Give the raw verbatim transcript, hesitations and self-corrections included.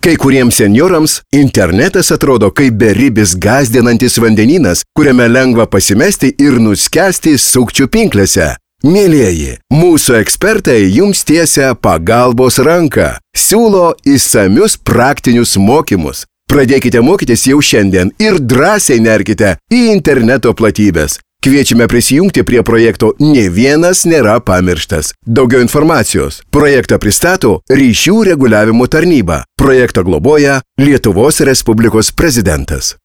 Kai kuriems senjorams internetas atrodo kaip beribis gąsdinantis vandenynas, kuriame lengva pasimesti ir nuskęsti sukčių pinklėse. Mielieji, mūsų ekspertai jums tiesia pagalbos ranką, siūlo išsamius praktinius mokymus. Pradėkite mokytis jau šiandien ir drąsiai nerkite į interneto platybės. Kviečiame prisijungti prie projekto Nė vienas nėra pamirštas. Daugiau informacijos. Projektą pristato Ryšių reguliavimo tarnyba. Projektą globoja Lietuvos Respublikos prezidentas.